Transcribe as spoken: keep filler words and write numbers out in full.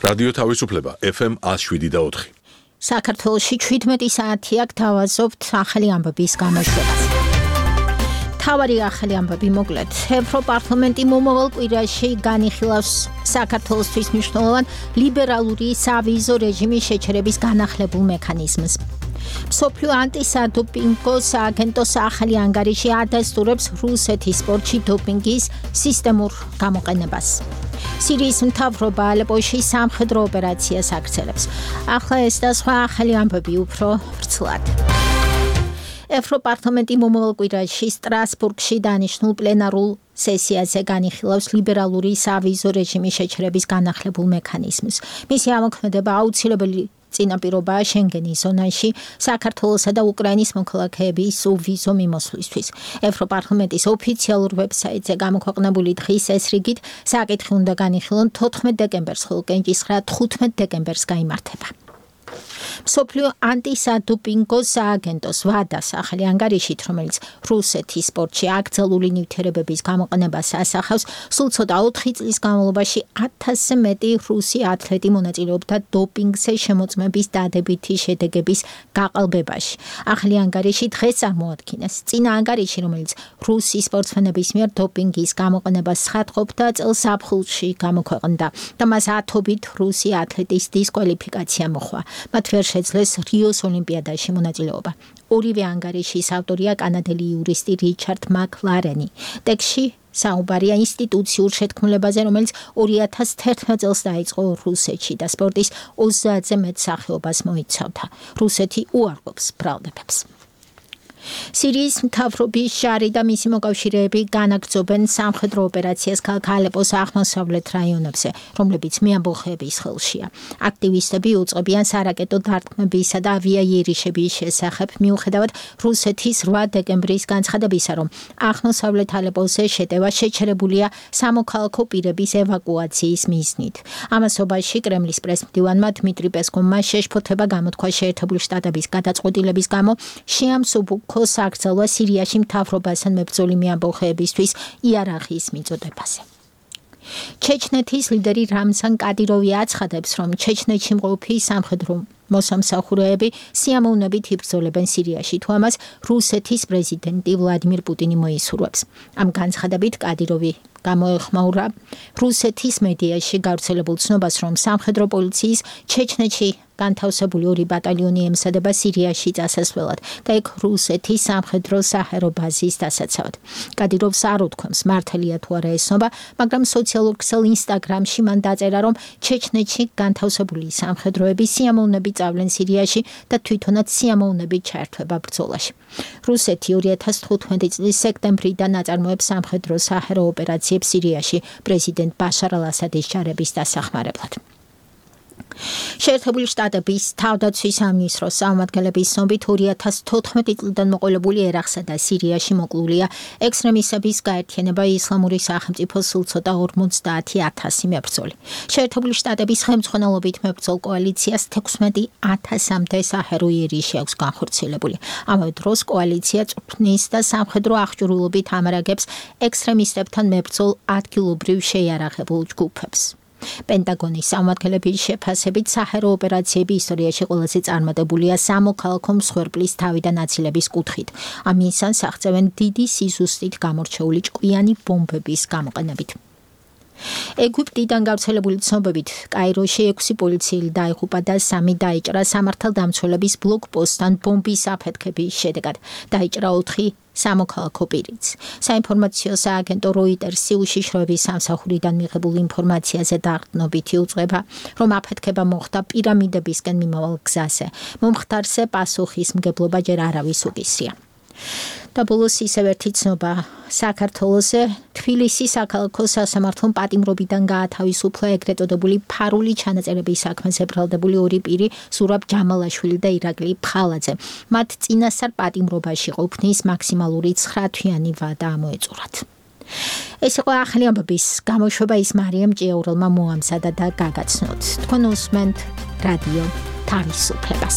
რადიო თავისუფლება ეფ ემ ათს შვიდი და ოთხი. საქართველოში ჩვიდმეტი საათი აქ თავაზობთ ახალი ამბების გამოშვებას. თავარი ახალი ამბები მოკლედ. ევროპარლამენტი მომავალ კვირაში განიხილავს საქართველოსთვის მნიშვნელოვან ლიბერალური სავიზო რეჟიმის შეჩერების განახლებულ მექანიზმს. მსოფლიო ანტისადოპინგო სააგენტოს ახალი ანგარიში ადასტურებს რუსეთის სპორტში დოპინგის სისტემურ გამოყენებას. სირიის მთავრობა ალეპოში სამხედრო ოპერაციას აქცევს. ახლა ეს და სხვა ახალი ამბები უფრო ვრცლად. ევროპარლამენტი მომავალ კვირაში სტრასბურგში დანიშნულ პლენარულ სესიაზე განიხილავს ლიბერალური სავიზო რეჟიმის შეჩერების განახლებულ მექანიზმს. მისი ამოქმედება აუცილებელი წინაპირობაა შენგენის ზონაში საქართველოსა და უკრაინის მოქალაქეების სუვიზო მიმოსვლისთვის. ევროპარლამენტის ოფიციალურ ვებსაიტზე გამოქვეყნებული დღის ეს რიგით საკითხი უნდა განიხილონ თოთხმეტ დეკემბერს, ხოლო კენჭისყრა თხუთმეტ დეკემბერს გაიმართება. მსოფლიო ანტისადოპინგო სააგენტოს ვადას ახალი ანგარიშით, რომელიც რუსეთის სპორტში აკრძალული ნივთიერებების გამოყენებას ასახავს, სულ ცოტა ოთხი წლის განმავლობაში ათასზე მეტი რუსი ათლეტი მონაწილეობდა დოპინგზე შემოწმების დადებითი შედეგების გაყალბებაში. ახალი ანგარიში დღეს წარმოადგინეს. წინა ანგარიში, რომელიც რუსი სპორტსმენების მიერ დოპინგის გამოყენებას ცხადყოფდა, წელს ზაფხულში გამოქვეყნდა და მას ათობით რუსი ათლეტის დისკვალიფიკაცია მოჰყვა. მათ ვერ შეძლეს რიოს ოლიმპიადაში მონაწილეობა. ორივე ანგარიშის ავტორია კანადელი იურისტი რიჩარდ მაკლარენი. ტექსტში საუბარია ინსტიტუციურ შეთქმულებაზე, რომელიც ორი ათას თერთმეტ წელს დაიწყო რუსეთში და სპორტის ოცდაათზე მეტ სახეობას მოიცავდა. რუსეთი უარყოფს ბრალდებებს. სირიის მთავრობის ჟარი და მისი მოკავშირეები განაგრძობენ სამხედრო ოპერაციას ქალაქ ალეპოს აღმოსავლეთ რაიონებზე, რომლებიც მეამბოხეების ხელშია. აქტივისტები უწყობიან სარაკეტო დარტყმებისა და ავიაიერიშების შესახებ, მიუხედავად რუსეთის რვა დეკემბრის განცხადებისა, რომ აღმოსავლეთ ალეპოზე შეტევა შეჩერებულია სამოქალაქო პირების ევაკუაციის მიზნით. ამასობაში კრემლის პრესმდივანმა დმიტრი პესკოვმა შეშფოთება გამოთქვა შეერთებული შტატების გადაწყვეტილების გამო შეამსუბუქ აკრძალვა სირიაში მთავრობასთან მებრძოლი მეამბოხეებისთვის იარაღის მიწოდებაზე. ჩეჩნეთის ლიდერი რამზან კადიროვი აცხადებს, რომ ჩეჩნეთში მყოფი სამხედრო მოსამსახურეები სიამოვნებით იბრძოლებენ სირიაში, თუ ამას რუსეთის პრეზიდენტი ვლადიმირ პუტინი მოისურვებს. ამ განცხადებით კადიროვი გამოეხმაურა რუსეთის მედიაში გავრცელებულ ცნობას, რომ სამხედრო პოლიციის ჩეჩნეთში განთავსებული ორი ბატალიონი ემსადება სირიაში წასასვლელად და იქ რუსეთის სამხედრო საჰაერო ბაზის დასაცავად. კადიროვს არ უთქვამს მართალია თუ არა ეს ცნობა, მაგრამ სოციალურ ქსელ ინსტაგრამში მან დაწერა, რომ ჩეჩნეთში განთავსებული სამხედროები სიამოვნებით წავლენ სირიაში და თვითონაც სიამოვნებით ჩაერთვება ბრძოლაში. რუსეთი ორი ათას თხუთმეტი წლის სექტემბრიდან აწარმოებს სამხედრო საჰაერო ოპერაციებს სირიაში პრეზიდენტ ბაშარ ალ-ასადის ჯარების დასახმარებლად. შეერთებული შტატების თავდაცვის სამინისტროს წარმომადგენლების ცნობით ორი ათას თოთხმეტი წლიდან მოყოლებული ერაყსა და სირიაში მოკლულია ექსტრემისტების გაერთიანება ისლამური სახელმწიფოს სულ ცოტა ორმოცდაათი ათასი მებრძოლი. შეერთებული შტატების ხელმძღვანელობით მებრძოლ კოალიციას თექვსმეტი ათასამდე საჰაერო იერიში აქვს განხორციელებული. ამავე დროს კოალიცია წვრთნის და სამხედრო აღჭურვილობით ამარაგებს ექსტრემისტებთან მებრძოლ ადგილობრივ შეიარაღებულ ჯგუფებს. პენტაგონის წარმომადგენლების შეფასებით საჰაერო ოპერაციები ისტორიაში ყველაზე წარმატებულია სამოქალაქო მსხვერპლის თავიდან აცილების კუთხით. ამ მისანს აღწევენ დიდი სიზუსტით გამორჩეული ჭკვიანი ბომბების გამოყენებით. ეგვიპტიდან გავრცელებული ცნობებით, კაიროში ექვსი პოლიციელი დაიღუპა და სამი დაიჭრა სამართალდამცველების ბლოკპოსტთან ბომბის აფეთქების შედეგად. დაიჭრა ოთხი სამოქალაქო პირიც. საინფორმაციო სააგენტო როიტერსი უშიშროების სამსახურიდან მიღებულ ინფორმაციაზე დაყრდნობითი უწყება, რომ აფეთქება მოხდა პირამიდებისკენ მიმავალ გზაზე. მომხდარზე პასუხისმგებლობა ჯერ არავის უკისრია. და ბოლოს ისევ ერთი ცნობა საქართველოზე თბილისის საქალაქო სასამართლომ პატიმრობიდან გაათავისუფლა ეგრეთ წოდებული ფარული ჩანაწერების საქმეზე ბრალდებული ორი პირი ზურაბ ჯამალაშვილი და ირაკლი ფხალაძე. მათ წინასწარ პატიმრობაში ყოფნის მაქსიმალური ცხრა თვიანი ვადა ამოეწურათ. ეს იყო ახალი ამბების გამოშვება, ის მარიამ ჭიაურელმა მოამზადა და გაგაცნოთ. თქვენ უსმენთ რადიო თავისუფლებას.